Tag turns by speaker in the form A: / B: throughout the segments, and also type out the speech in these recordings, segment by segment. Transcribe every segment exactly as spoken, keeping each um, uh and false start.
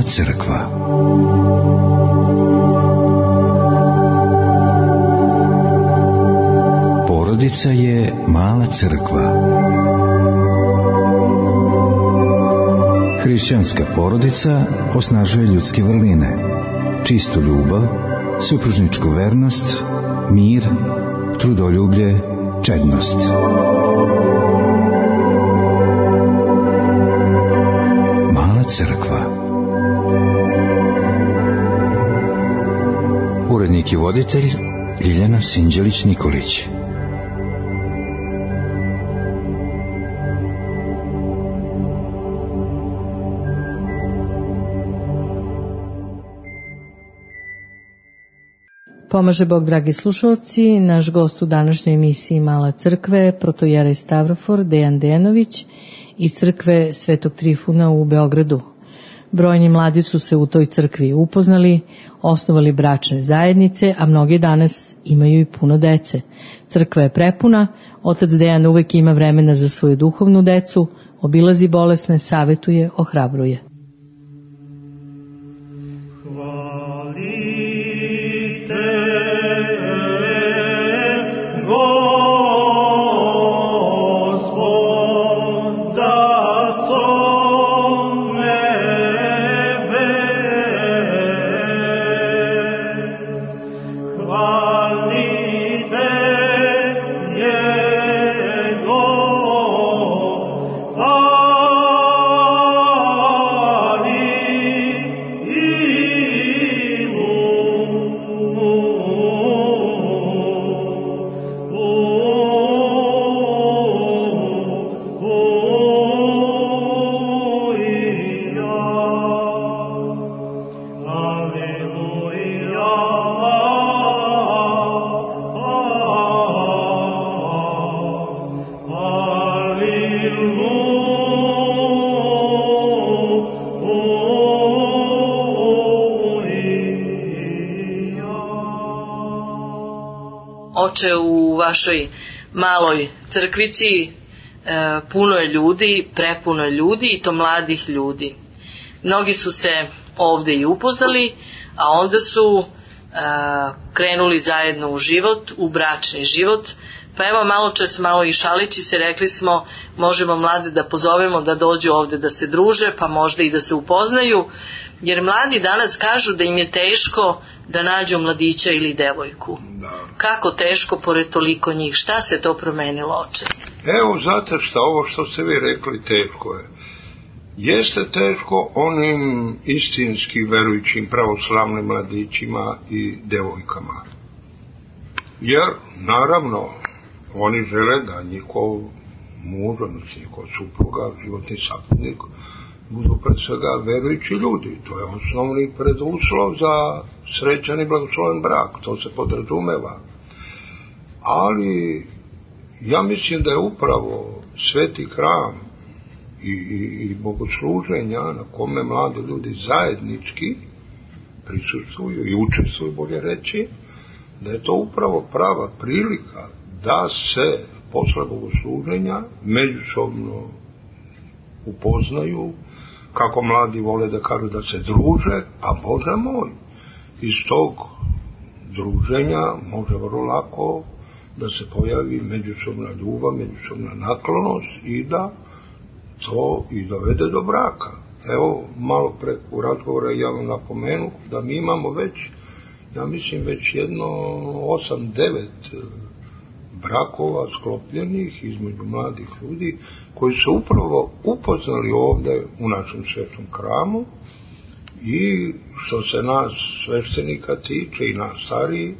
A: crkva. Porodica je mala crkva. Hrišćanska porodica osnažuje ljudske vrline, čistu ljubav, supružničku vernost, mir, trudoljublje, čednost. Mala crkva. Urednik i voditelj Ljiljana Sinđelić-Nikolić.
B: Pomaže Bog, dragi slušalci. Naš gost u današnjoj emisiji Mala crkve, protojerej Stavrofor Dejan Dejanović iz crkve Svetog Trifuna u Beogradu. Brojni mladi su se u toj crkvi upoznali, osnovali bračne zajednice, a mnogi danas imaju i puno dece. Crkva je prepuna, otac Dejan uvek ima vremena za svoju duhovnu decu, obilazi bolesne, savetuje, ohrabruje.
C: Oče, u vašoj maloj crkvici e, puno je ljudi, prepuno je ljudi i to mladih ljudi. Mnogi su se ovde i upoznali, a onda su e, krenuli zajedno u život, u bračni život. Pa evo, malo čas, malo i šalići se, rekli smo, možemo mlade da pozovemo da dođu ovde da se druže, pa možda i da se upoznaju, jer mladi danas kažu da im je teško da nađu mladića ili devojku. Da. Kako teško pored toliko njih? Šta se to promenilo, oče?
D: Evo, znate šta, ovo što ste vi rekli, teško je. Jeste teško onim istinski verujućim pravoslavnim mladićima i devojkama. Jer, naravno, oni žele da njihov muž, odnosno njihov supruga, životni saputnik, budu pred svega verujući ljudi. To je osnovni preduslov za srećan i blagosloven brak. To se podrazumeva. Ali ja mislim da je upravo sveti hram i, i, i bogosluženja na kome mladi ljudi zajednički prisustvuju i učestvuju, bolje reći, da je to upravo prava prilika da se posle bogosluženja međusobno upoznaju, kako mladi vole da kažu da se druže, pa Bože moj, iz tog druženja može vrlo lako da se pojavi međusobna ljubav, međusobna naklonost i da to i dovede do braka. Evo, malo preko razgovora ja vam napomenu da mi imamo već, ja mislim već jedno osam devet brakova sklopljenih između mladih ljudi koji su upravo upoznali ovde u našem svetom hramu i što se nas sveštenika tiče i nas stariji,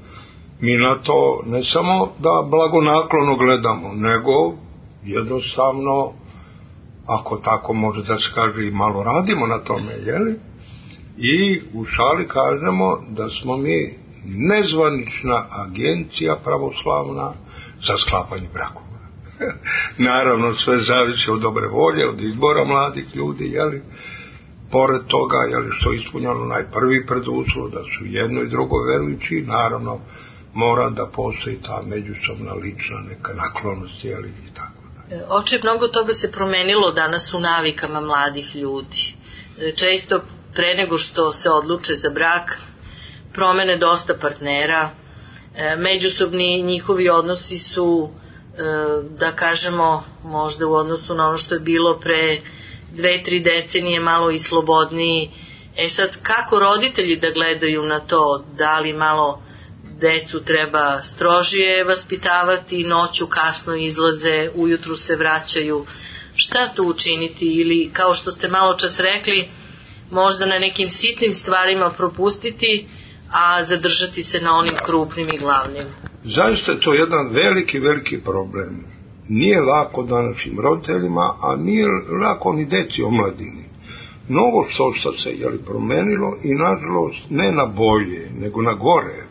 D: mi na to ne samo da blagonaklono gledamo, nego jednostavno, ako tako može da se kaže, i malo radimo na tome, jeli? I u šali kažemo da smo mi nezvanična agencija pravoslavna za sklapanje brakova. Naravno, sve zavisi od dobre volje, od izbora mladih ljudi, jeli? Pored toga, jeli, što je ispunjeno najprvi preduslov, da su jedno i drugo verujući, naravno, mora da postoji ta međusobna lična neka naklonost, jeli, i tako.
C: Oče, mnogo toga se promenilo danas u navikama mladih ljudi. Često pre nego što se odluče za brak, promene dosta partnera, međusobni njihovi odnosi su, da kažemo, možda u odnosu na ono što je bilo pre dve, tri decenije malo i slobodniji. E sad, kako roditelji da gledaju na to, da li malo decu treba strožije vaspitavati, noću kasno izlaze, ujutru se vraćaju, šta tu učiniti, ili kao što ste malo čas rekli, možda na nekim sitnim stvarima propustiti, a zadržati se na onim krupnim i glavnim.
D: Zaista je to jedan veliki, veliki problem. Nije lako današnjim roditeljima, a nije lako ni deci omladini. Mnogo što sad se je li promenilo i nažalost ne na bolje, nego na gore.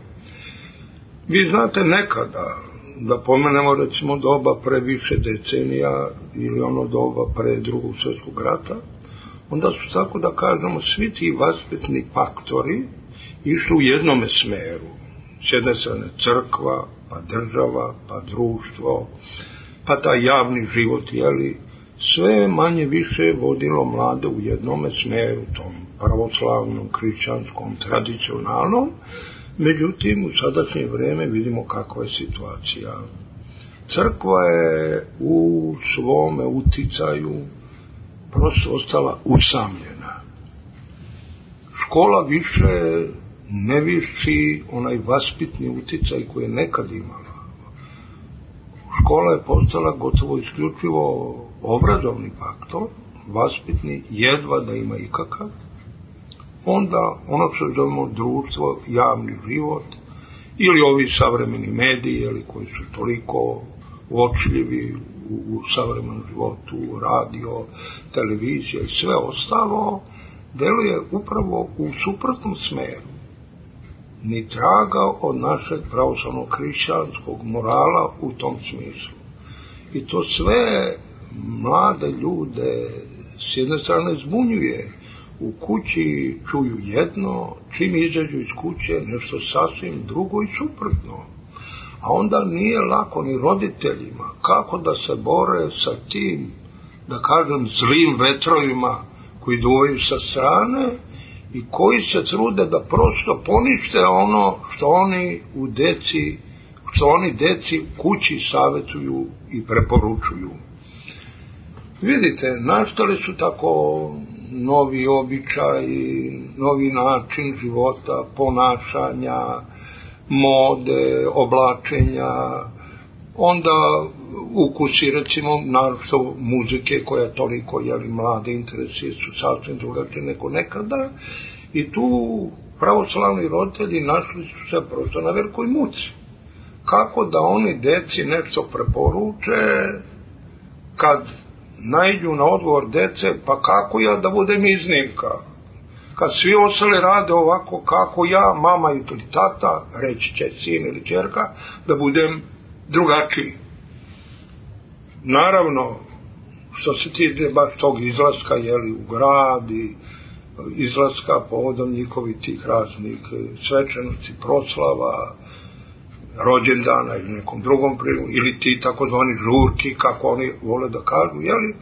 D: Vi znate nekada, da pomenemo recimo doba pre više decenija ili ono doba pre drugog svjetskog rata, onda su, tako da kažemo, svi ti vaspitni faktori išli u jednome smeru. S jedne strane crkva, pa država, pa društvo, pa taj javni život, jeli, sve manje više vodilo mlade u jednome smeru, tom pravoslavnom, hrišćanskom, tradicionalnom. Međutim, u sadašnje vreme vidimo kakva je situacija. Crkva je u svome uticaju prosto ostala usamljena. Škola više ne vrši onaj vaspitni uticaj koji je nekad imala. Škola je postala gotovo isključivo obrazovni faktor, vaspitni jedva da ima ikakav. Onda ono što zovemo društvo, javni život, ili ovi savremeni mediji, ili koji su toliko uočljivi u, u savremenom životu, radio, televizija i sve ostalo, deluje upravo u suprotnom smeru. Ni traga od našeg pravoslavnog hrišćanskog morala u tom smislu. I to sve mlade ljude s jedne strane zbunjuje. U kući čuju jedno, čim izađu iz kuće nešto sasvim drugo i suprotno. A onda nije lako ni roditeljima kako da se bore sa tim, da kažem, zlim vetrovima koji duvaju sa strane i koji se trude da prosto ponište ono što oni u deci, što oni deci u kući savjetuju i preporučuju. Vidite, nastali su tako novi običaj, novi način života, ponašanja, mode, oblačenja, onda ukusi, recimo, naravno muzike koja toliko, jeli, mlade interesuje su sasvim drugačije nego nekada, i tu pravoslavni roditelji našli su se prosto na velikoj muci. Kako da oni deci nešto preporuče kad naiđu na odgovor dece, pa kako ja da budem iznimka? Kad svi ostali rade ovako, kako ja, mama ili tata, reći će sin ili ćerka, da budem drugačiji. Naravno, što se tiče baš tog izlaska, jeli, u grad i izlaska povodom njihovih tih raznih svečanosti, proslava, rođendana ili nekom drugom priliku, ili ti takozvani žurki, kako oni vole da kažu, jeli,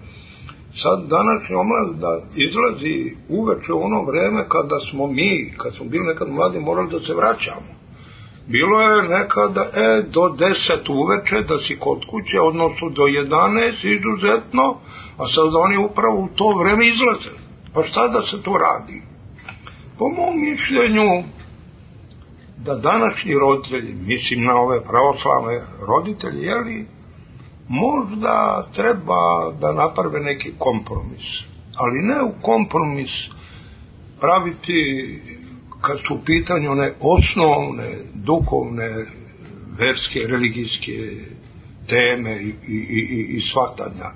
D: sad današnja omladina izlazi uveče u ono vreme kada smo mi, kad smo bili nekad mladi, morali da se vraćamo. Bilo je nekada, e, do deset uveče da si kod kuće, odnosno do jedanaest izuzetno, a sad oni upravo u to vreme izlaze. Pa šta da se to radi? Po mom mišljenju, da današnji roditelji, mislim na ove pravoslavne roditelje, jeli, možda treba da naprave neki kompromis. Ali ne u kompromis praviti kad su u pitanju one osnovne, duhovne, verske, religijske teme i, i, i, i shvatanja,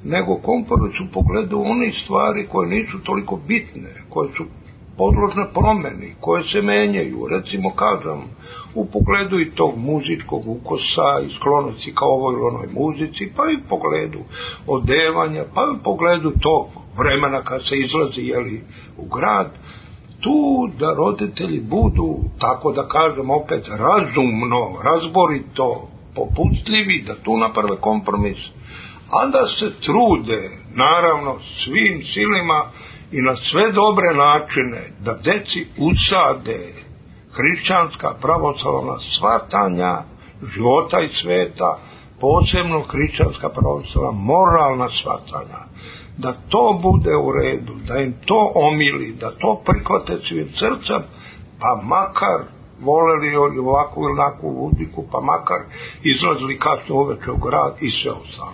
D: nego kompromis u pogledu onih stvari koje nisu toliko bitne, koje su podložne promeni, koje se menjaju, recimo kažem, u pogledu i tog muzičkog ukosa i sklonosti ka ovoj ili onoj muzici, pa i u pogledu odevanja, pa i u pogledu tog vremena kad se izlazi, jeli, u grad, tu da roditelji budu, tako da kažem opet, razumno, razborito, popustljivi, da tu naprave kompromis, a da se trude, naravno, svim silima i na sve dobre načine da deci usade hrišćanska pravoslavna shvatanja života i sveta, posebno hrišćanska pravoslavna moralna shvatanja, da to bude u redu, da im to omili, da to prihvate svim srcem, pa makar voleli ovakvu ili onakvu muziku, pa makar izlazili kasno uveče u grad i sve ostalo.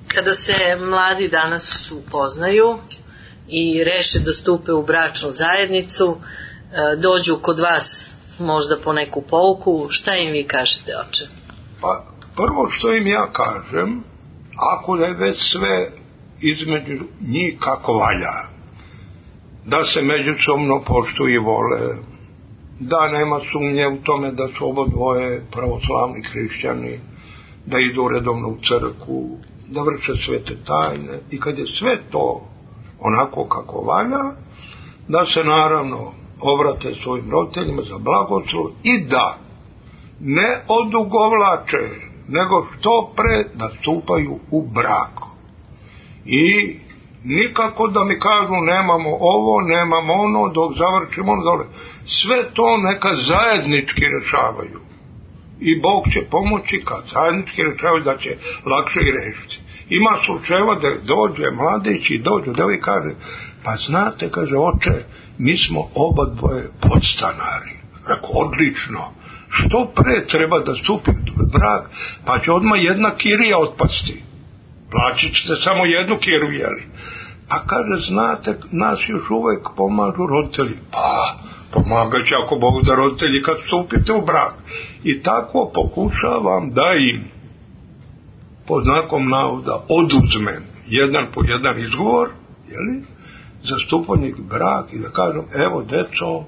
C: Kada se mladi danas upoznaju i reše da stupe u bračnu zajednicu, dođu kod vas možda po neku pouku, šta im vi kažete, oče?
D: Pa prvo što im ja kažem, ako je već sve između njih kako valja, da se međusobno poštuju i vole, da nema sumnje u tome da su oba dvoje pravoslavni hrišćani, da idu redovno u crkvu, da vrše svete tajne, i kad je sve to onako kako valja, da se naravno obrate svojim roditeljima za blagoslov i da ne odugovlače, nego što pre da stupaju u brak. I nikako da mi kažu nemamo ovo, nemamo ono, dok završimo ono dole. Sve to neka zajednički rešavaju. I Bog će pomoći kad zajednički rešavaju da će lakše i rešiti. Ima slučajeva da dođe mladić i dođe da vi kaže, pa znate, kaže, oče, mi smo oba dvoje podstanari. Rekao, odlično. Što pre treba da stupi brak, pa će odmah jedna kirija otpasti. Plaćit ćete samo jednu kiriju, jeli? A kaže, znate, nas još uvek pomažu roditelji. Pa, pomagat će ako Bog da roditelji kad stupite u brak. I tako pokušavam da im pod znakom navoda oduzmem jedan po jedan izgovor, jeli, za stupanje u brak i da kažem, evo deco,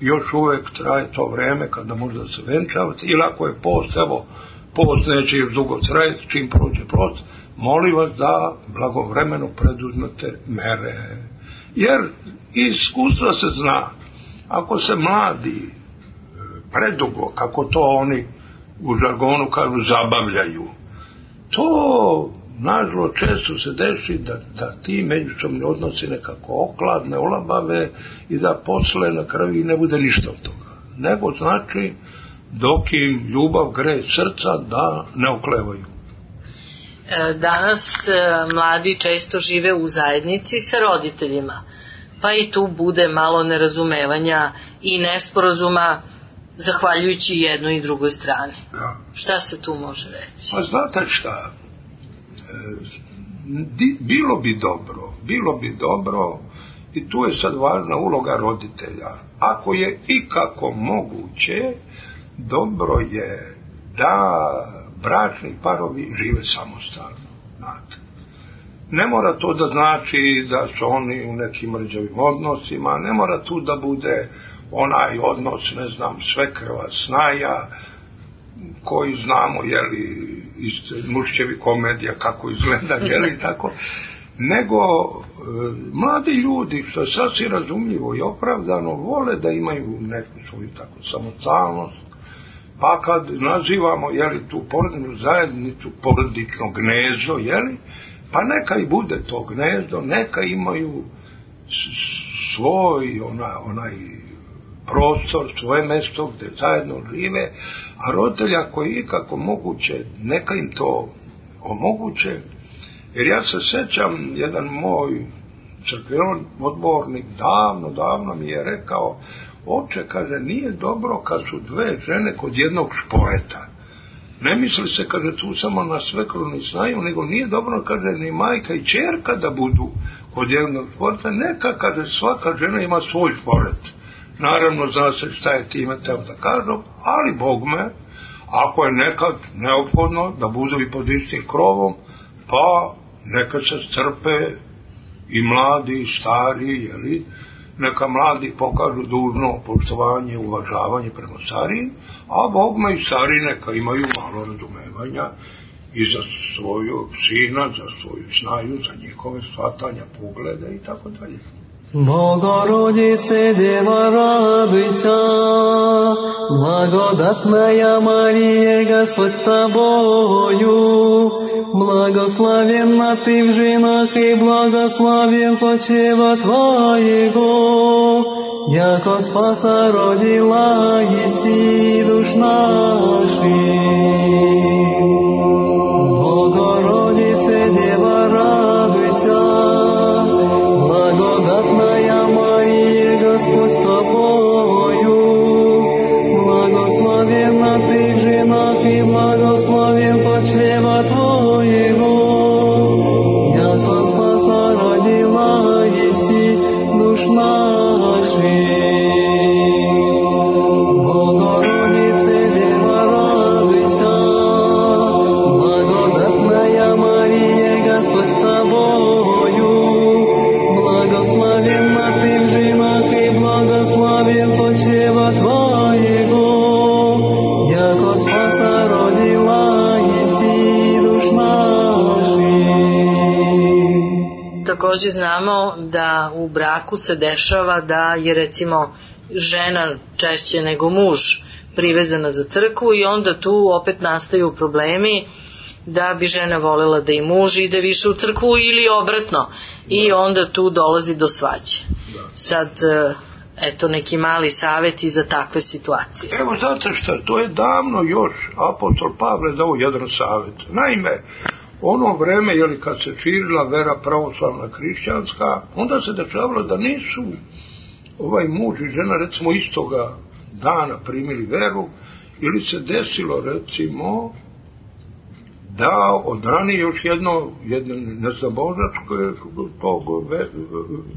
D: još uvek traje to vreme kada možda se venčavate, ili ako je post, evo, post neće još dugo trajati, čim prođe post, molim vas da blagovremeno preduzmete mere. Jer iz iskustva se zna, ako se mladi predugo, kako to oni u žargonu kažu, zabavljaju, to nažalost često se deši da, da ti međusobni odnosi nekako okladne, olabave i da posle na kraju i ne bude ništa od toga. Nego znači dok im ljubav greje srca da ne oklevaju.
C: Danas mladi često žive u zajednici sa roditeljima, pa i tu bude malo nerazumevanja i nesporazuma zahvaljujući jednoj i drugoj strani.
D: Ja.
C: Šta se tu može reći?
D: Pa znate šta, bilo bi dobro, bilo bi dobro, i tu je sad važna uloga roditelja. Ako je ikako moguće, dobro je da bračni parovi žive samostalno, znate. Ne mora to da znači da su oni u nekim rđavim odnosima, ne mora tu da bude onaj odnos, ne znam, svekrva, snaja, koji znamo, jeli, iz Mušćevi komedija kako izgleda, jeli, tako, nego e, mladi ljudi, što je sasvim razumljivo i opravdano, vole da imaju neku svoju tako samostalnost, pa kad nazivamo, jeli, tu porodičnu zajednicu porodično gnezdo, jeli, pa neka i bude to gnezdo, neka imaju svoj ona, onaj prostor, svoje mesto gde zajedno žive, a roditelji ako je ikako moguće, neka im to omoguće. Jer ja se sećam, jedan moj crkveni odbornik davno, davno mi je rekao, oče, kaže, nije dobro kad su dve žene kod jednog šporeta. Ne misli se, kaže, tu samo na svekrvni snaju, nego nije dobro, kaže, ni majka i ćerka da budu kod jednog šporeta. Neka, kaže, svaka žena ima svoj šporet. Naravno, zna se šta je time teo da kažem, ali Bog me, ako je nekad neophodno da budu i pod istim krovom, pa neka se strpe i mladi i stari, jeli, neka mladi pokažu dužno poštovanje i uvažavanje prema starijim, a Bog me i stari neka imaju malo razumevanja i za svoju sina, za svoju snaju, za njihove shvatanja, poglede i tako dalje.
E: Богородице, Дева, радуйся, благодатная Мария, Господь с тобою, Благословенна ты в женах, и благословен почева Твоего, яко спаса родила еси душ наших. Богородице, Дева, радуйся, благодатная Мария, Господь с Тобою, благословенна ты в женах, и благословен почева Твоего, яко спаса родила еси душ наших. Богородице, Дева, радуйся, благодатная Мария, Господь с Тобою, благословенна ты в женах, и благословен почева Твоего, яко спаса родила еси душ наших.
C: Također znamo da u braku se dešava da je recimo žena češće nego muž privezana za crkvu i onda tu opet nastaju problemi da bi žena voljela da i muž ide više u crkvu ili obratno i onda tu dolazi do svađe. Sad, eto neki mali savjeti za takve situacije.
D: Evo znate šta, to je davno još apostol Pavle dao jedan savjet. Naime, ono vreme, jeli, kad se širila vera pravoslavna hrišćanska, onda se dešavalo da nisu ovaj muž i žena recimo istoga dana primili veru, ili se desilo recimo da odrani još jedno, jedno neznabožačko tog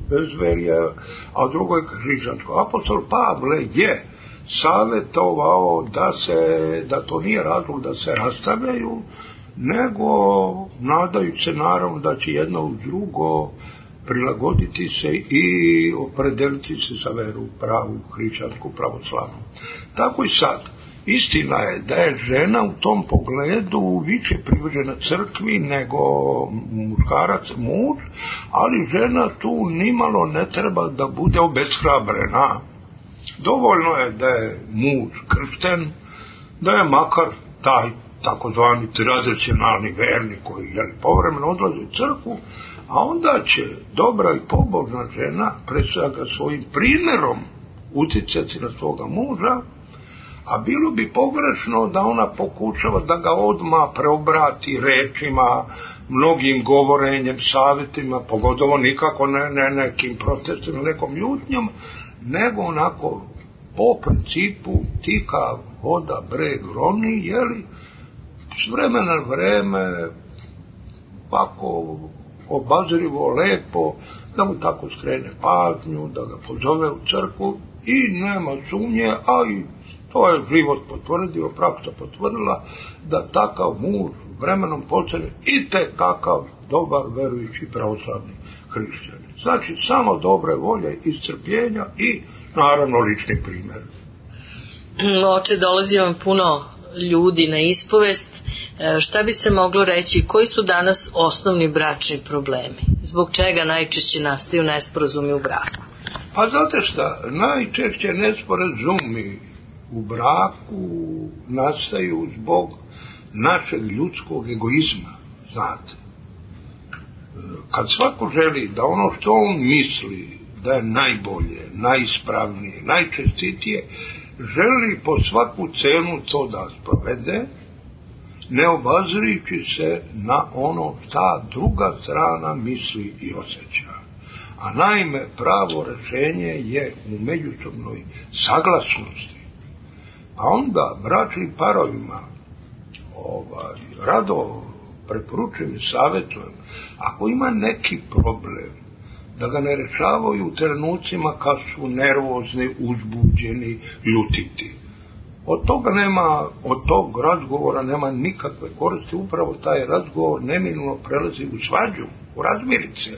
D: bezverja, a drugo je hrišćansko. Apostol Pavle je savjetovao da se, da to nije razlog da se rastavljaju, nego nadajući se naravno da će jedno uz drugo prilagoditi se i opredeliti se za veru pravu, hrišćansku, pravoslavnu. Tako i sad. Istina je da je žena u tom pogledu više privržena crkvi nego muškarac, muž, ali žena tu nimalo ne treba da bude obeshrabrena. Dovoljno je da je muž kršten, da je makar taj takozvani tradicionalni vernik koji je povremeno odlazi u crkvu, a onda će dobra i pobožna žena pre svega svojim primjerom uticati na svoga muža, a bilo bi pogrešno da ona pokušava da ga odmah preobrati rečima, mnogim govorenjem, savjetima, pogotovo nikako ne, ne nekim protestima, nekom ljutnjom, nego onako po principu tika voda breg roni, jeli, s vremena na vreme, ovako obazrivo, lepo, da mu tako skrene pažnju, da ga pozove u crkvu i nema sumnje, a i to je život potvrdio, praksa potvrdila, da takav muž vremenom postane i tekakav dobar verujući pravoslavni hrišćanin. Znači, samo dobre volje i strpljenja i naravno lični primjer.
C: Oče, dolazi vam puno ljudi na ispovest. Šta bi se moglo reći, koji su danas osnovni bračni problemi? Zbog čega najčešće nastaju nesporazumi u braku?
D: Pa znate šta, najčešće nesporazumi u braku nastaju zbog našeg ljudskog egoizma, znate. Kad svako želi da ono što on misli da je najbolje, najispravnije, najčestitije, želi po svaku cenu to da sprovede, ne obazirići se na ono šta druga strana misli i osjeća. A naime, pravo rešenje je u međusobnoj saglasnosti. A onda bračnim parovima ovaj, rado preporučujem i savjetujem, ako ima neki problem, da ga ne rešavaju u trenucima kad su nervozni, uzbuđeni, ljutiti. Od toga nema, od tog razgovora nema nikakve koristi, upravo taj razgovor neminovno prelazi u svađu, u razmirice,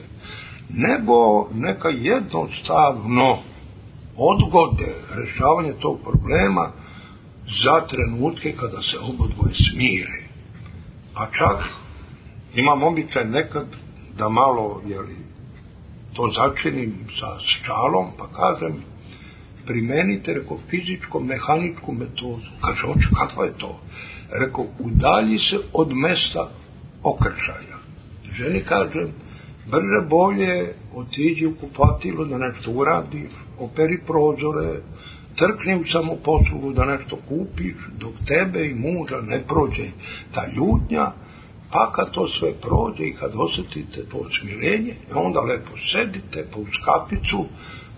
D: nego neka jednostavno odgode rešavanje tog problema za trenutke kada se obodvoje smire. Pa čak imam običaj nekad da malo, jeli, to začinim sa šalom, pa kažem, primenite, reko, fizičko-mehaničku metodu. Kaže, oče, kakva je to? Reko, udalji se od mesta okršaja. Ženi kažem, brže bolje otiđi u kupatilo da nešto uradiš, operi prozore, trkni u samoposlugu da nešto kupiš, dok tebe i muža ne prođe ta ljutnja, pa kad to sve prođe i kad osjetite to smirenje, onda lepo sedite po kaficu,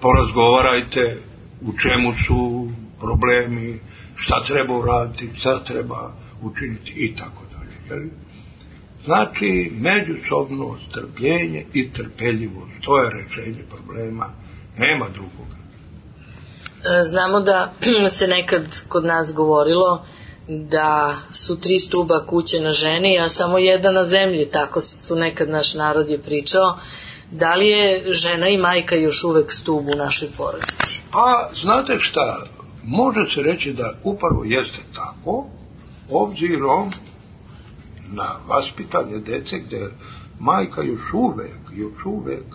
D: porazgovarajte u čemu su problemi, šta treba uraditi, šta treba učiniti i tako dalje. Znači, međusobno strpljenje i trpeljivost, to je rešenje problema, nema drugoga.
C: Znamo da se nekad kod nas govorilo da su tri stuba kuće na ženi, a samo jedna na zemlji, tako su nekad naš narod je pričao. Da li je žena i majka još uvek stub u našoj porodici?
D: Pa, znate šta, može se reći da upravo jeste tako, obzirom na vaspitanje dece gde majka još uvek, još uvek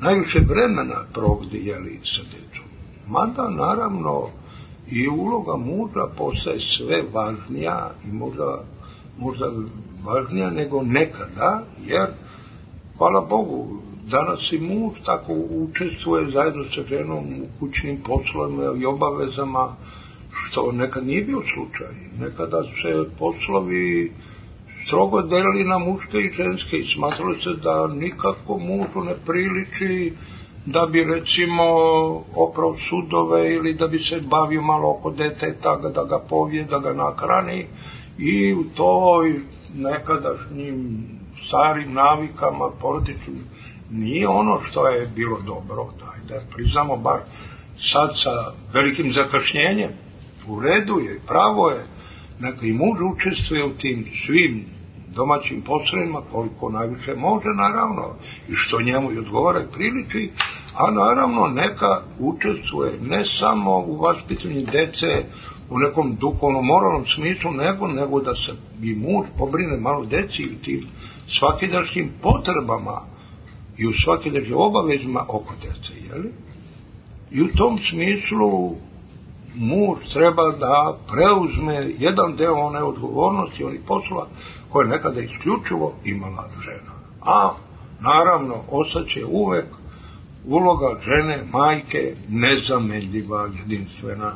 D: najviše vremena provodi, jeli, sa decom. Mada, naravno, i uloga muža postaje sve važnija i možda, možda važnija nego nekada, jer, hvala Bogu, danas i muž tako učestvuje zajedno sa ženom u kućnim poslovima i obavezama, što nekad nije bio slučaj. Nekada se poslovi strogo delili na muške i ženske i smatralo se da nikako mužu ne priliči da bi, recimo, oprao sudove ili da bi se bavio malo oko deteta, da ga povije, da ga nahrani, i u toj nekadašnjim starim navikama porodičnim nije ono što je bilo dobro, daj da priznamo, bar sad sa velikim zakašnjenjem. U redu je, pravo je, neka i muž učestvuje u tim svim domaćim poslovima koliko najviše može, naravno, i što njemu i odgovara i priliči, a naravno neka učestvuje ne samo u vaspitanju dece u nekom duhovnom, moralnom smislu, nego, nego da se i muž pobrine malo deci i tim svakidašnjim potrebama i u svakidašnjim obavezima oko dece, jeli? I u tom smislu muž treba da preuzme jedan deo one odgovornosti, onih poslova koje nekada isključivo imala žena. A naravno ostaće uvek uloga žene, majke, nezamenljiva, jedinstvena.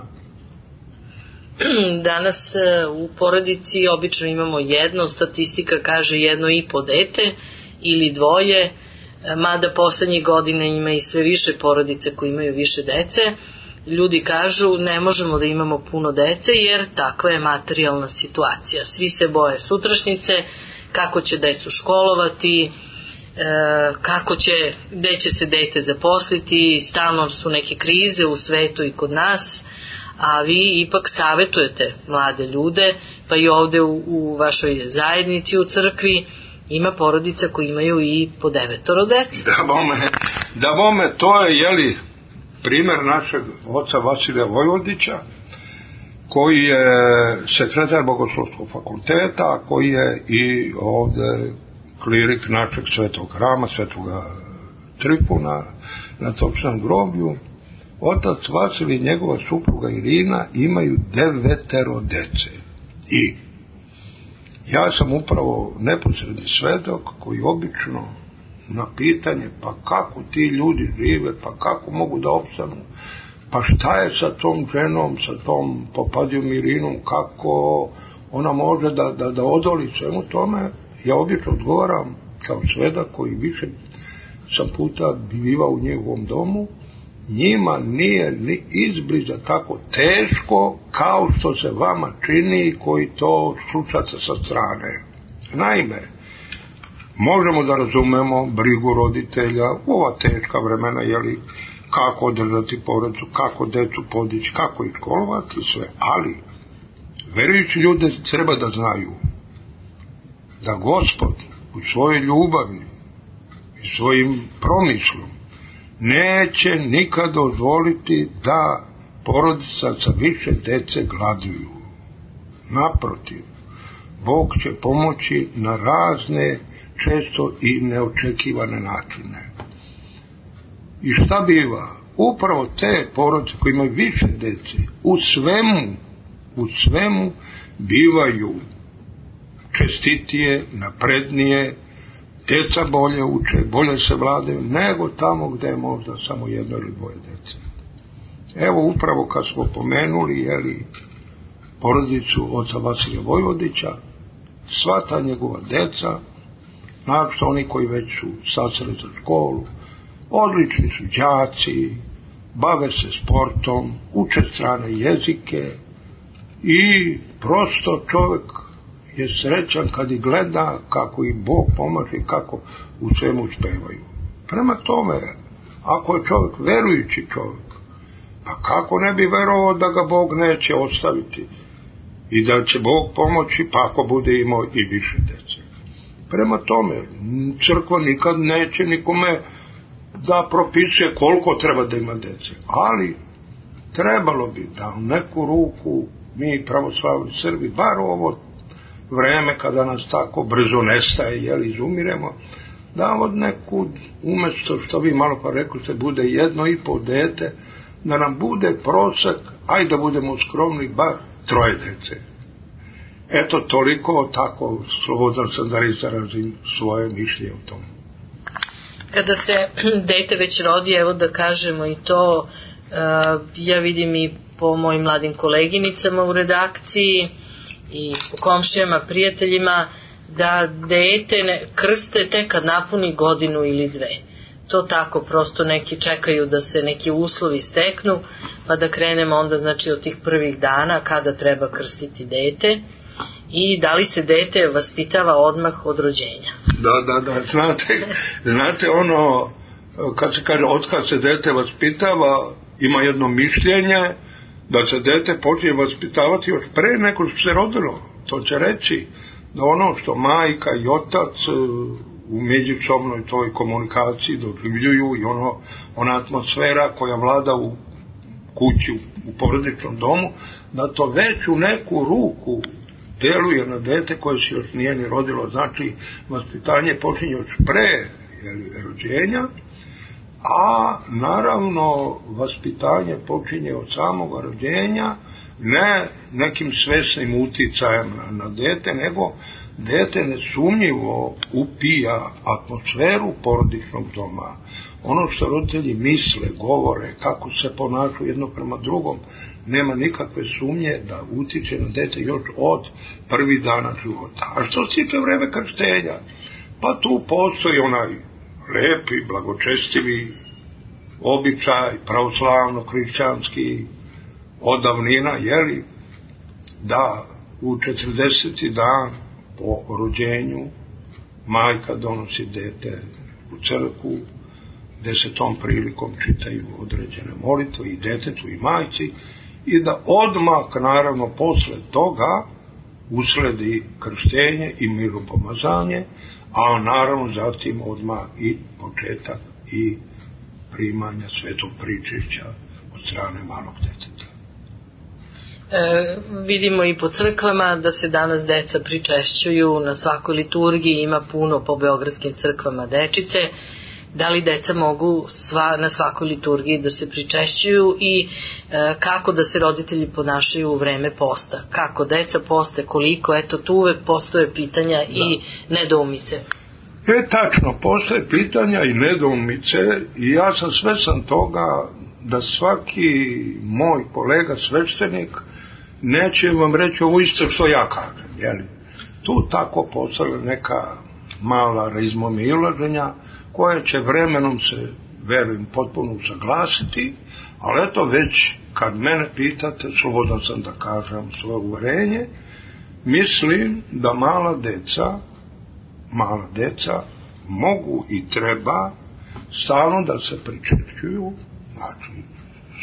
C: Danas u porodici obično imamo jedno, statistika kaže jedno i po dete ili dvoje, mada poslednjih godina ima i sve više porodice koji imaju više dece. Ljudi kažu ne možemo da imamo puno dece jer takva je materijalna situacija. Svi se boje sutrašnjice, kako će decu školovati, kako će, gde će se dete zaposliti, stalno su neke krize u svetu i kod nas, a vi ipak savetujete mlade ljude, pa i ovde u, u vašoj zajednici u crkvi ima porodica koji imaju i po devetoro dece.
D: Da bome, da bome, to je, jeli, primer našeg oca Vasilija Vojvodića, koji je sekretar Bogoslovskog fakulteta, koji je i ovde klirik našeg svetog hrama, svetoga Trifuna, na Topšnom groblju. Otac Vasilij i njegova supruga Irina imaju devetero dece. I ja sam upravo neposredni svedok koji obično na pitanje pa kako ti ljudi žive, pa kako mogu da opstanu, pa šta je sa tom ženom, sa tom Popadijom Irinom, kako ona može da, da, da odoli svemu tome, ja obično odgovaram kao svedak koji više sam puta bivao u njegovom domu, njima nije ni izbliza tako teško kao što se vama čini koji to slušate sa strane. Naime, možemo da razumemo brigu roditelja u ova teška vremena, jeli, kako održati porodicu, kako decu podići, kako ih školovati, sve, ali verujući ljude treba da znaju da Gospod u svojoj ljubavi i svojim promislom neće nikad dozvoliti da porodica sa više dece gladuju. Naprotiv, Bog će pomoći na razne, često i neočekivane načine. I šta biva? Upravo te porodice koje imaju više dece u svemu, u svemu bivaju čestitije, naprednije, djeca bolje uče, bolje se vladaju, nego tamo gdje je možda samo jedno ili dvoje djece. Evo upravo kad smo pomenuli, jeli, porodicu oca Vasilija Vojvodića, sva ta njegova djeca, naravno oni koji već su stasali za školu, odlični su đaci, bave se sportom, uče strane jezike i prosto čovjek je srećan kad ih gleda kako ih Bog pomaže i kako u svemu uspevaju. Prema tome, ako je čovjek verujući čovjek, pa kako ne bi verovao da ga Bog neće ostaviti i da će Bog pomoći pa ako bude imao i više djece. Prema tome, crkva nikad neće nikome da propisuje koliko treba da ima djece, ali trebalo bi da u neku ruku mi pravoslavni Srbi, bar ovo vreme kada nas tako brzo nestaje, jel, izumiremo, da od neku, umjesto što vi malo pa rekli se bude jedno i pol dete, da nam bude prosek, aj da budemo skromni, bar troje djece. Eto, toliko, tako slobodan sam da izrazim svoje mišljenje o tom.
C: Kada se dete već rodi, evo da kažemo i to, ja vidim i po mojim mladim koleginicama u redakciji i po komšijama, prijateljima, da dete ne, krste tek kad napuni godinu ili dve. To tako, prosto neki čekaju da se neki uslovi steknu, pa da krenemo onda znači od tih prvih dana kada treba krstiti dete i da li se dete vaspitava odmah od rođenja.
D: Da, da, da, znate, znate ono, kad se kaže od kad se dete vaspitava, ima jedno mišljenje da se dete počne vaspitavati još pre nego što se rodilo. To će reći da ono što majka i otac u međusobnoj toj komunikaciji doživljuju i ono, ona atmosfera koja vlada u kući, u porodičnom domu, da to već u neku ruku deluje na dete koje se još nije ni rodilo. Znači, vaspitanje počinje još pre jeli, rođenja, a naravno vaspitanje počinje od samog rođenja, ne nekim svesnim uticajem na, na dete, nego dete nesumnjivo upija atmosferu porodičnog doma. Ono što roditelji misle, govore, kako se ponašaju jedno prema drugom, nema nikakve sumnje da utiče na dete još od prvih dana života. A što se tiče vreme krštenja, pa tu postoji onaj lepi, blagočestivi običaj, pravoslavno-hrišćanski odavnina, jeli, da u četrdeseti dan po rođenju majka donosi dete u crkvu, gde se tom prilikom čitaju određene molitve i detetu i majci, i da odmah, naravno, posle toga usledi krštenje i miropomazanje, a naravno zatim odmah i početak i primanja svetog pričešća od strane malog deteta.
C: E, vidimo i po crkvama da se danas deca pričešćuju na svakoj liturgiji, ima puno po beogradskim crkvama dečice. Da li deca mogu sva, na svakoj liturgiji da se pričešćuju i e, kako da se roditelji ponašaju u vreme posta? Kako deca poste, koliko, eto tu uvek postoje pitanja da. I nedoumice.
D: E, tačno, postoje pitanja i nedoumice i ja sam svestan toga da svaki moj kolega sveštenik neće vam reći ovo isto što ja kažem, jeli? Tu tako postoje neka mala razmomilaženja koje će vremenom se, verujem, potpuno usaglasiti, ali eto već kad mene pitate, slobodan sam da kažem svoje uverenje, mislim da mala deca, mala deca mogu i treba stalno da se pričešćuju, znači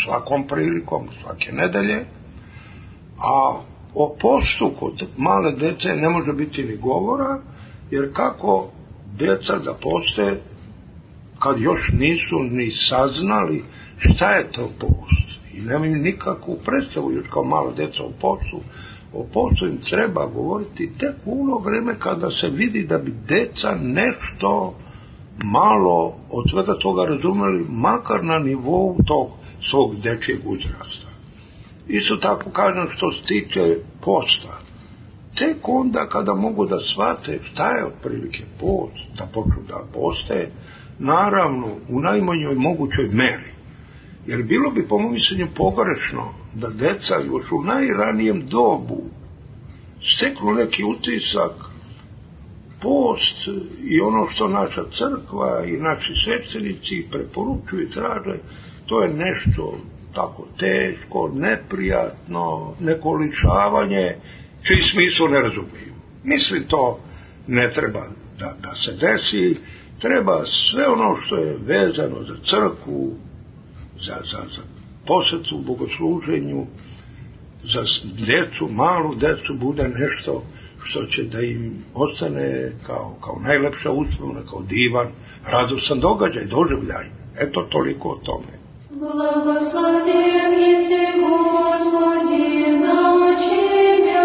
D: svakom prilikom, svake nedelje, a o postu kod male dece ne može biti ni govora, jer kako deca da poste kad još nisu ni saznali šta je to post i nemaju nikakvu predstavu još kao mala deca o postu. O postu im treba govoriti tek u ono vreme kada se vidi da bi deca nešto malo od svega toga razumeli, makar na nivou tog svog dečijeg uzrasta. Isto tako kažem što se tiče posta. tek onda kada mogu da shvate šta je otprilike post, da počnu da poste, naravno u najmanjoj mogućoj meri. Jer bilo bi po mom mišljenju pogrešno da deca još u najranijem dobu steknu neki utisak, post i ono što naša crkva i naši sveštenici preporučuju i traže, to je nešto tako teško, neprijatno, neko lišavanje, čiji smislu ne razumiju. Mislim, to ne treba da, da se desi, treba sve ono što je vezano za crkvu, za, za, za posvetu u bogosluženju, za djecu, malu djecu, bude nešto što će da im ostane kao, kao najlepša uspomena, kao divan, radostan događaj, doživljaj. Eto, toliko o tome.
F: Благословен еси, Господи, научи меня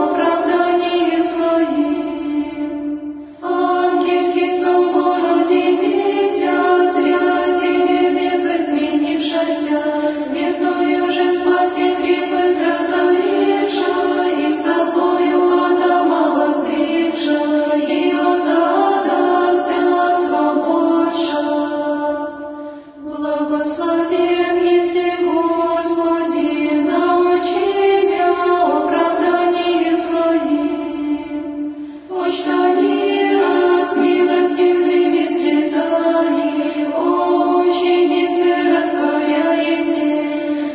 F: оправданием Твоим. Ангельский собор удивися, зря Тебе медлит менившася, смертную же спаси крепость разоревша, и собою Адама воздвигша, и от ада вся свободша. Благословен еси, Господи, научи меня оправданием Твоим. Почта мира с милостивыми слезами, о, ученицы, растворяете,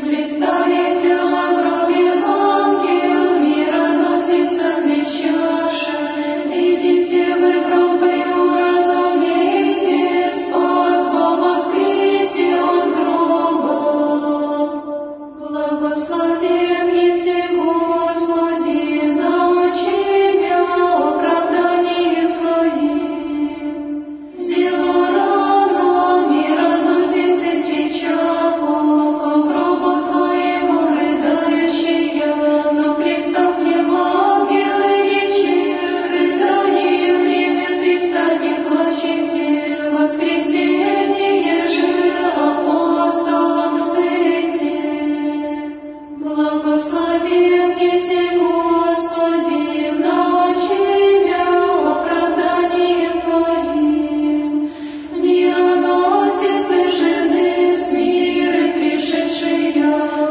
F: блистаете в гробе ангел, мироносицами чаша, видите вы гробою, разумеете, спас во воскресе от гроба. Благословен еси, Господи, научи меня оправданием Твоим. Зело рано, мироносицы течаку, ко гробу Твоему рыдающая, но пристав мне ангелы речи, рыдание время пристанет, плачете, воскресенье же апостолам цете. Благословен еси, Господи, научи меня оправданием Твоим. Мироносицы жены с мира пришедшие,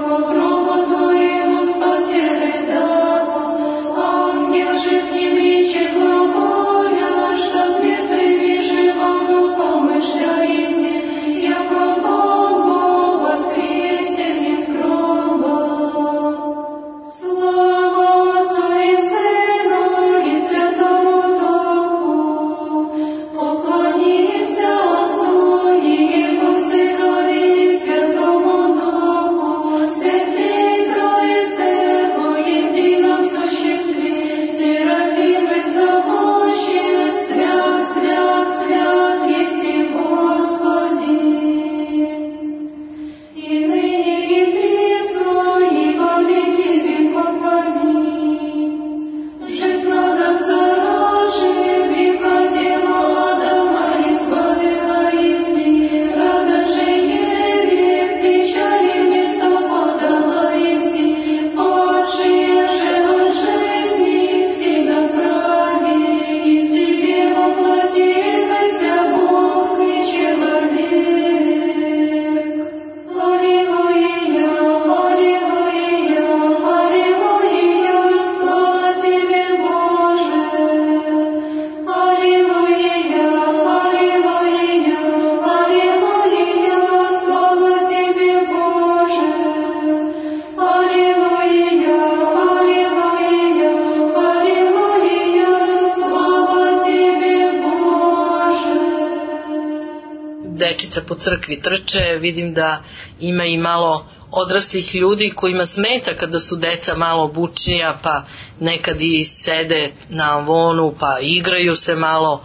F: ко гробу Твоему спасе рыдаку. Ангел же к ним речи глаголя, что с мертвыми живому помышляете, яко Бог Бог воскресен из гроба. Слава Отцу и Сыну и Святому Духу, поклонимся Отцу и Его Сынові и Святому Духу, Святей Троице во едином существе, серафимы зовущие, свят, свят, свят еси, Господи. И ныне и присно, и во веки веков. Аминь. Жить надо зарожи, греха дело Адама избавила еси, рада же Еве, в печали место подала еси, падшие же от жизни все направи, из Тебе воплотився Бог и человек. Аллилуйя, аллилуйя, аллилуйя, слава Тебе, Боже. Аллилуйя, аллилуйя, аллилуйя, слава Тебе, Боже. Аллилуйя, аллилуйя, аллилуйя, слава Тебе, Боже.
C: Dečica po crkvi trče, vidim da ima i malo odraslih ljudi kojima smeta kada su deca malo bučnija, pa nekad i sede na avonu, pa igraju se malo. E,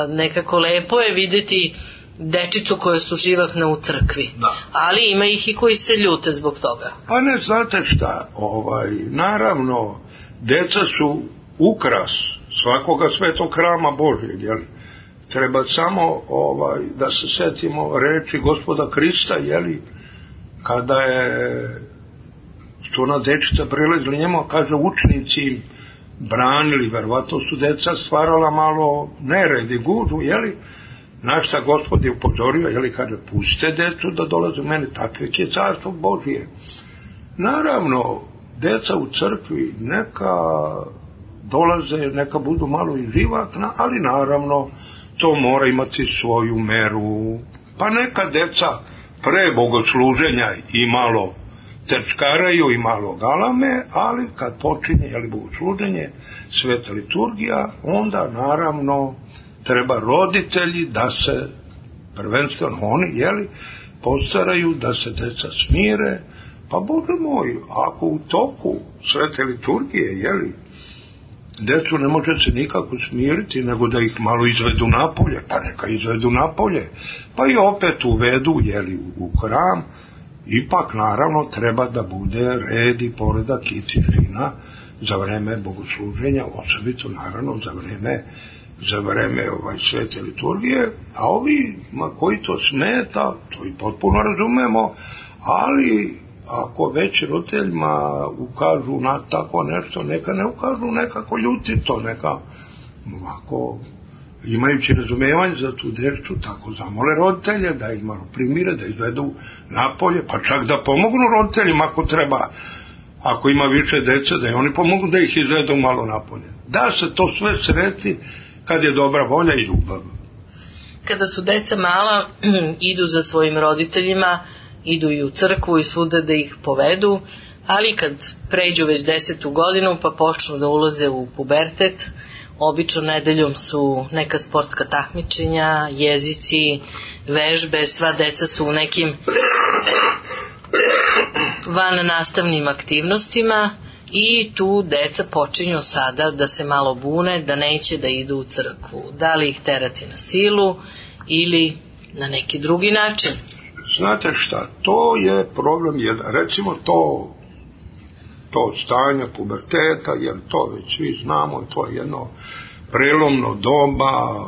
C: nekako lepo je vidjeti dečicu koja su živahna u crkvi.
D: Da.
C: Ali ima ih i koji se ljute zbog toga.
D: Pa ne, znate šta, ovaj, naravno, deca su ukras svakoga svetog hrama Božjeg, jel? Treba samo ovaj, da se setimo reči Gospoda Krista, jeli, kada je što ona dečica prilazila njemu, kaže učenici im, branili, verovatno su deca stvarala malo nered i gužu, jeli, naš sa Gospod je upozorio, jeli, kaže, pustite decu da dolaze u mene, takve je carstvo Božije. Naravno, deca u crkvi neka dolaze, neka budu malo i živakna, ali naravno to mora imati svoju meru. Pa neka deca pre bogosluženja i malo trčkaraju i malo galame, ali kad počinje, jeli, bogosluženje, sveta liturgija, onda naravno treba roditelji da se, prvenstveno oni, jeli, postaraju da se deca smire. Pa Bože moj, ako u toku svete liturgije, jeli, decu ne može se nikako smiriti, nego da ih malo izvedu napolje, pa neka izvedu napolje, pa i opet uvedu, jeli, u hram. Ipak naravno treba da bude red i poredak i tišina za vreme bogosluženja, osobito naravno za vreme za vreme ovaj, svete liturgije, a ovi ma, koji to smeta, to i potpuno razumemo, ali ako već roditeljima ukažu na tako nešto, neka ne ukažu nekako ljutito, neka ovako, imajući razumevanje za tu decu, tako zamole roditelje da ih malo primire, da izvedu napolje, pa čak da pomognu roditeljima ako treba, ako ima više dece, da i oni pomogu da ih izvedu malo napolje. Da se to sve sreti kad je dobra volja i ljubav.
C: Kada su deca mala, idu za svojim roditeljima, idu i u crkvu i svuda da ih povedu, ali kad pređu već desetu godinu pa počnu da ulaze u pubertet, obično nedeljom su neka sportska takmičenja, jezici, vežbe, sva deca su u nekim van nastavnim aktivnostima i tu deca počinju sada da se malo bune, da neće da idu u crkvu. Da li ih terati na silu ili na neki drugi način?
D: Znate šta, to je problem, jer recimo to to stanje puberteta, jer to već svi znamo, to je jedno prelomno doba,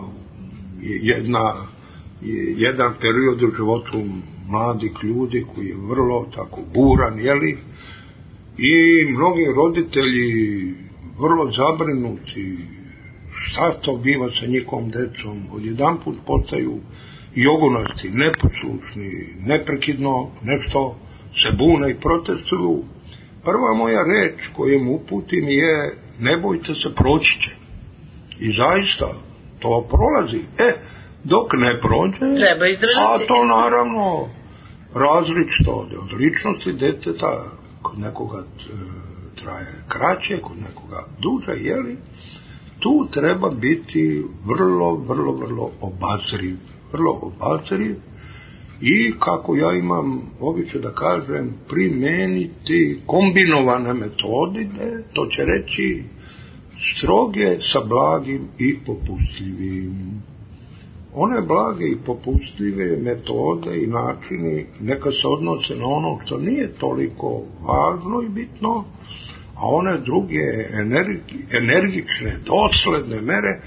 D: jedna, jedan period u životu mladih ljudi koji je vrlo tako buran, jeli, i mnogi roditelji vrlo zabrinuti šta to biva sa njihovom decom, odjedanput postaju jogunasti, neposlušni, neprekidno nešto se bune i protestuju. Prva moja reč koju mu uputim je ne bojte se, proći će. I zaista to prolazi. E, dok ne prođe,
C: treba izdržati.
D: A to naravno različito od ličnosti deteta, kod nekoga traje kraće, kod nekoga duže, jeli, tu treba biti vrlo, vrlo, vrlo obazriv. Vrlo obazriv i, kako ja imam običaj da kažem, primeniti kombinovane metode, to će reći stroge sa blagim i popustljivim. One blage i popustljive metode i načini neka se odnose na ono što nije toliko važno i bitno, a one druge energi, energične, dosledne mere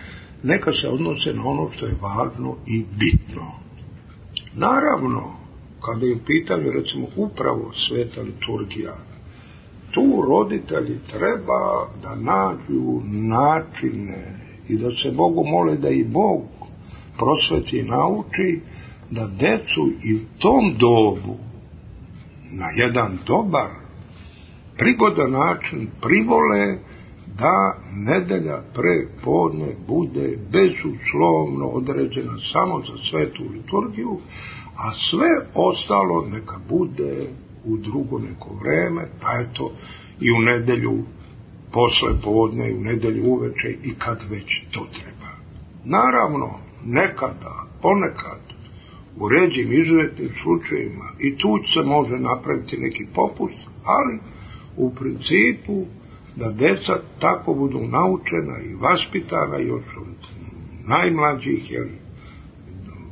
D: neka se odnose na ono što je važno i bitno. Naravno, kada je u pitanju recimo upravo sveta liturgija, tu roditelji treba da nađu načine i da se Bogu mole da i Bog prosveti i nauči da decu i u tom dobu na jedan dobar, prigodan način privole da nedelja pre podne bude bezuslovno određena samo za svetu liturgiju, a sve ostalo neka bude u drugo neko vreme, pa eto i u nedelju posle podne, i u nedelju uveče i kad već to treba. Naravno, nekada, ponekad, u ređim izuzetnim slučajima i tu se može napraviti neki popust, ali u principu da deca tako budu naučena i vaspitana još od najmlađih, jeli,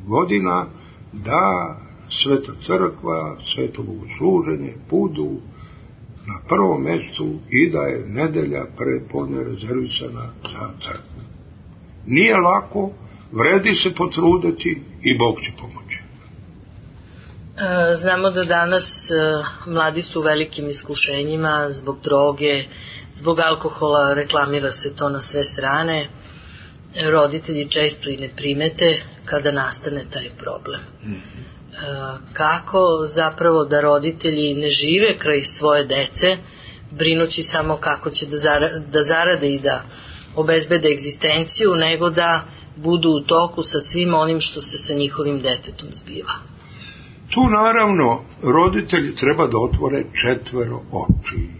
D: godina, da sveta crkva, sveto bogosluženje budu na prvom mjestu i da je nedelja pre podne rezervisana za crkvu. Nije lako, vredi se potruditi i Bog će pomoći.
C: Znamo da danas mladi su u velikim iskušenjima zbog droge, zbog alkohola reklamira se to na sve strane, roditelji često i ne primete kada nastane taj problem. Mm-hmm. Kako zapravo da roditelji ne žive kraj svoje dece, brinući samo kako će da, zara, da zarade i da obezbede egzistenciju, nego da budu u toku sa svim onim što se sa njihovim detetom zbiva.
D: Tu naravno roditelji treba da otvore četvero oči.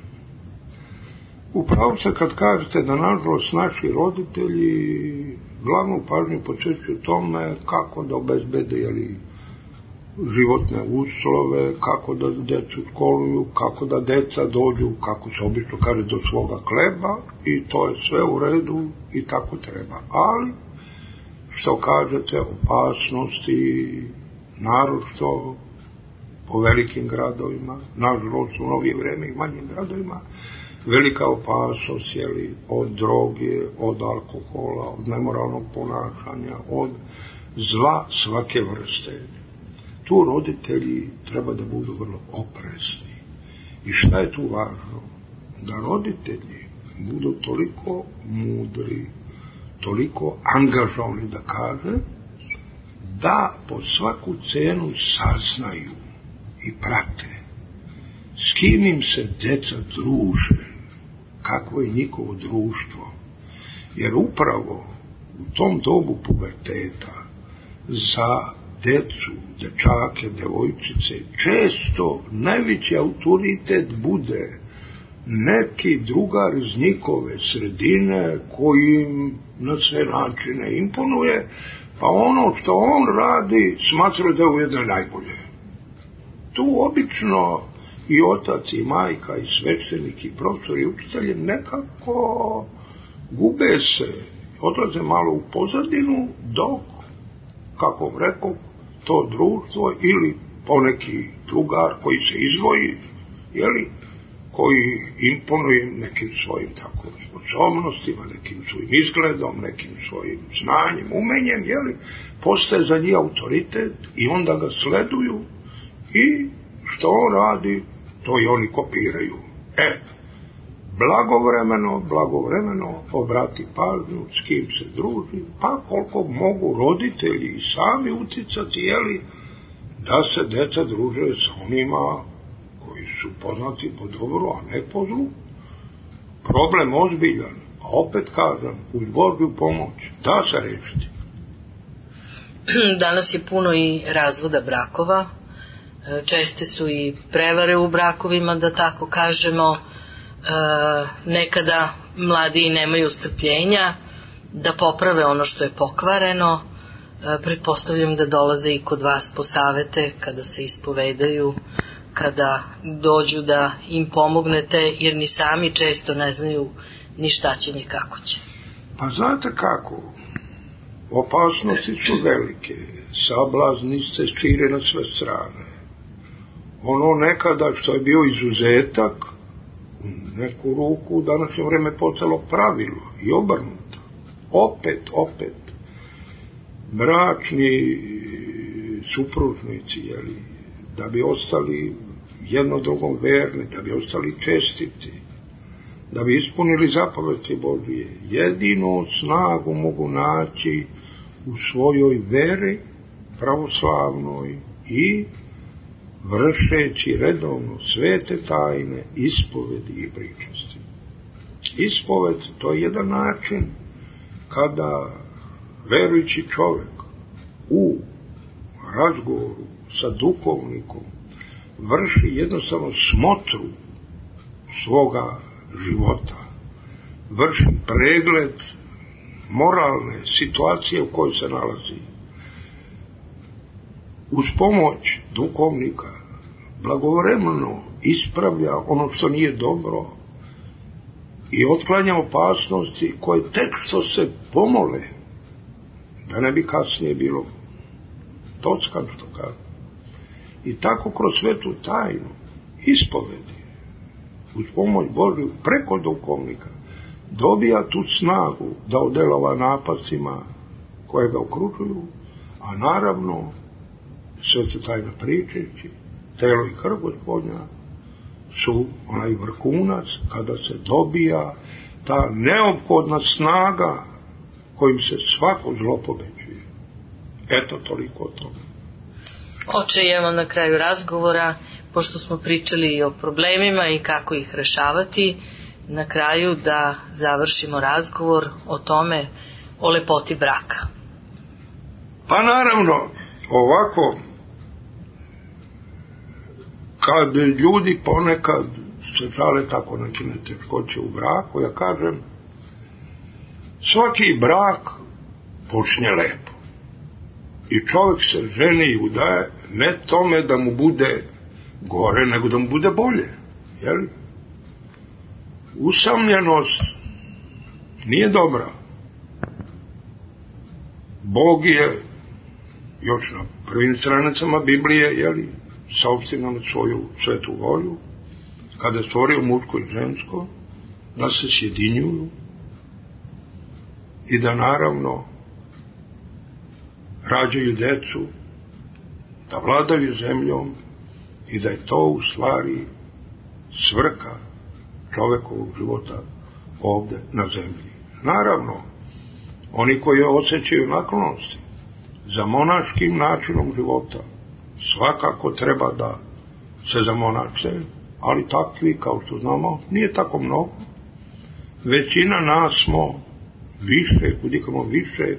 D: Upravo se kad kažete da nažalost naši roditelji glavnu pažnju posvećuju tome kako da obezbede jeli, životne uslove, kako da decu školuju, kako da deca dođu, kako se obično kaže, do svoga hleba, i to je sve u redu i tako treba. Ali, što kažete, opasnosti, naročito po velikim gradovima, nažalost u novije vreme i manjim gradovima, velika opasnost jeli, od droge, od alkohola, od nemoralnog ponašanja, od zla svake vrste. Tu roditelji treba da budu vrlo oprezni. I šta je tu važno? Da roditelji budu toliko mudri, toliko angažovani, da kaže, da po svaku cenu saznaju i prate s kim im se deca druže, kakvo je njihovo društvo. Jer upravo u tom dobu puberteta za decu, dečake, devojčice, često najveći autoritet bude neki drugar iz njihove sredine koji im na sve načine imponuje, pa ono što on radi smatra da je ujedno najbolje. Tu obično i otac i majka i sveštenik i profesor i učitelji nekako gube se, odlaze malo u pozadinu, dok, kako vam rekao, to društvo ili poneki drugar koji se izdvoji, jeli, koji imponuje nekim svojim tako sposobnostima, nekim svojim izgledom, nekim svojim znanjem, umenjem, jeli, postaje za njih autoritet i onda ga sleduju i što on radi, to i oni kopiraju. E, blagovremeno, blagovremeno obrati pažnju s kim se druži, pa koliko mogu roditelji i sami uticati, jeli, da se deca druže s onima koji su poznati po dobru, a ne po zlu. Problem ozbiljan, a opet kažem, uz Božju pomoć, da se rešiti.
C: Danas je puno i razvoda brakova, česte su i prevare u brakovima, da tako kažemo. Nekada mladi nemaju strpljenja da poprave ono što je pokvareno. Pretpostavljam da dolaze i kod vas po savete kada se ispovedaju, kada dođu da im pomognete, jer ni sami često ne znaju ni šta će ni kako će.
D: Pa znate kako, opasnosti su velike, sablazni se šire na sve strane. Ono nekada što je bio izuzetak, neku ruku u današnje vreme postalo pravilo i obrnuto. Opet, opet, bračni supružnici, jeli, da bi ostali jedno drugom verni, da bi ostali čestiti, da bi ispunili zapovesti Božije, jedinu snagu mogu naći u svojoj veri pravoslavnoj i vršeći redovno svete tajne, ispovedi i pričasti. Ispoved, to je jedan način kada verujući čovjek u razgovoru sa duhovnikom vrši jednostavno smotru svoga života, vrši pregled moralne situacije u kojoj se nalazi. Uz pomoć duhovnika blagovremeno ispravlja ono što nije dobro i otklanja opasnosti koje tek što se pomole, da ne bi kasnije bilo tockan, što kaže. I tako kroz svetu tajnu ispovedi uz pomoć Božju preko duhovnika dobija tu snagu da odelova napacima koje ga okružuju, a naravno svetu tajna pričajući, telo i krv Gospodnja su onaj vrhunac kada se dobija ta neophodna snaga kojim se svako zlo pobeđuje. Eto, toliko o tome.
C: Oče, evo na kraju razgovora, pošto smo pričali i o problemima i kako ih rešavati, na kraju da završimo razgovor o tome, o lepoti braka.
D: Pa naravno, ovako, kad ljudi ponekad se žale tako neke neteškoće u braku, ja kažem, svaki brak počne lepo. I čovjek se ženi i udaje ne tome da mu bude gore, nego da mu bude bolje. Jel? Usamljenost nije dobra. Bog je još na prvim stranicama Biblije, jeli, saopštio nam svoju svetu volju, kada je stvorio muško i žensko, da se sjedinjuju i da naravno rađaju decu, da vladaju zemljom i da je to u stvari svrha čovekovog života ovde na zemlji. Naravno, oni koji osjećaju naklonosti za monaškim načinom života svakako treba da se zamonače, ali takvi, kao što znamo, nije tako mnogo. Većina nas smo više, kudikamo više,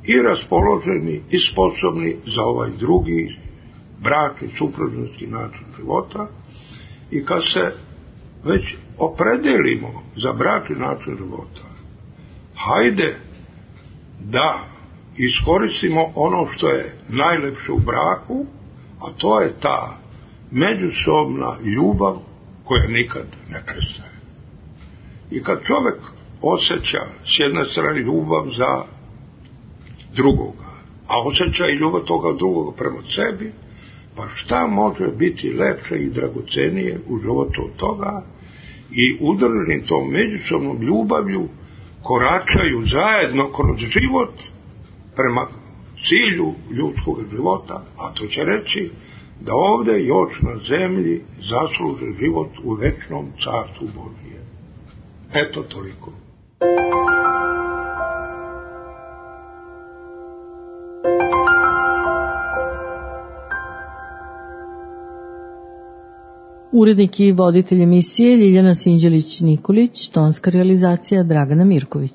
D: i raspoloženi i sposobni za ovaj drugi bračni, supružnički način života. I kad se već opredelimo za bračni način života, hajde da iskoristimo ono što je najlepše u braku, a to je ta međusobna ljubav koja nikad ne prestaje. I kad čovjek osjeća s jedne strane ljubav za drugoga, a osjeća i ljubav toga drugoga prema sebi, pa šta može biti lepše i dragocenije u životu od toga, i udruženi tom međusobnom ljubavlju koračaju zajedno kroz život prema cilju ljudskog života, a to će reći da ovde još na zemlji zasluže život u večnom carstvu Božije. Eto toliko.
B: Urednik i voditelj emisije Ljiljana Sinđelić-Nikolić, tonska realizacija Dragana Mirković.